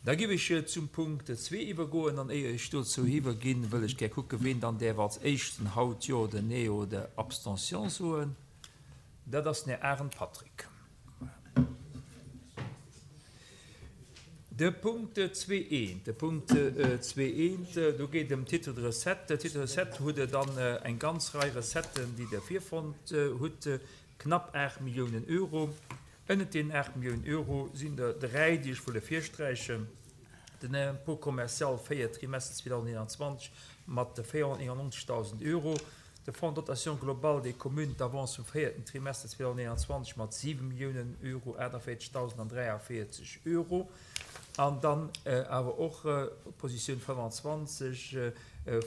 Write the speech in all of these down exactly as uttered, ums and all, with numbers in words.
Da géif ech zum Punkt zwee iwwergoen an éier ech dozou iwwerginn, wëll ech gär kucken, ween dann däerf als éischten haut Jo oder Nee oder Abstention soen. Dat ass den Här Arendt Patrick. De Punkt zwee eent, de Punkt zwee eent, do geet et ëm d'Titre de recettes. Titre de recettes hutt Der dann eng ganz Rei Recetten, déi Der virfonnt hutt, knapp aacht Milliounen Euro. Ënnert deenen aacht Milliounen Euro sinn der dräi, déi ech wëll ervirsträichen, den Impôt commercial, véiert Trimester zweedausendeenanzwanzeg, mat véierhonnertneunundneunzegdausend Euro, de Fonds de dotation globale des communes, d'Avance vum véierten Trimester zweedausendeenanzwanzeg mat siwe Milliounen Euro aachtavéierzegdausendandräiavéierzeg Euro, an dann awer och d'Positioun fënnefanzwanzeg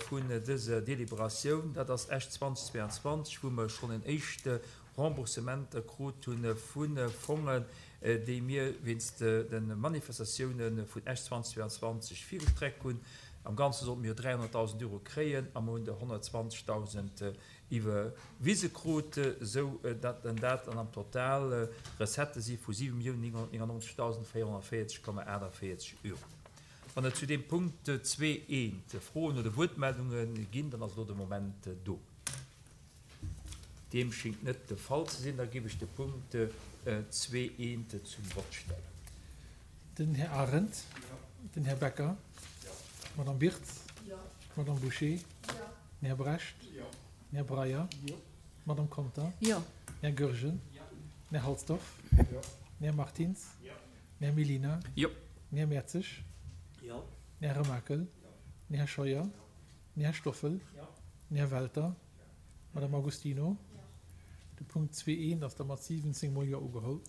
vun dëser Deliberatioun, dat ass Esch zweitausendzweiundzwanzeg, wou mer schonn en éischte Remboursementer krut hu vu Fongen, déi mir wéinst de Manifestatioune vun Esch zweitausendzweiundzwanzeg virgestreckt hunn. Am Ganze sollte mir jo dräihonnertdausend Euro kréien a mer hunn der honnertzwanzegdausend iwwerwise krut, esou datt dann dat dann am Total Recettë si vu siwe Milliounen nénghonnertnéngundneunzegdausend véierhonnertvéierzeg Komma aachtavéierzeg Euro. Wann et zu deem Punkt zwee eent Froen oder Wuertmeldunge ginn, dann ass elo de Moment do. Deem schéngt net de Fall ze sinn. Da géif ech de Punkt zwee eent zum Vott stellen. Den Här Arendt. Den Här Becker. D'Madame Birtz. D'Madame Bouché. Den Här Brecht. Den Här Breyer. D'Madame Conter. Den Här Goergen. Den Här Halsdorf. Den Här Martins. Den Här Mellina. Den Här Mertzig. Den Här Remakel. Den Här Scheuer. Den Här Stoffel. Den Här Welter. Madame Agostino. De Punkt zwee eent ass da mat siwwenzéng mol Jo ugeholl.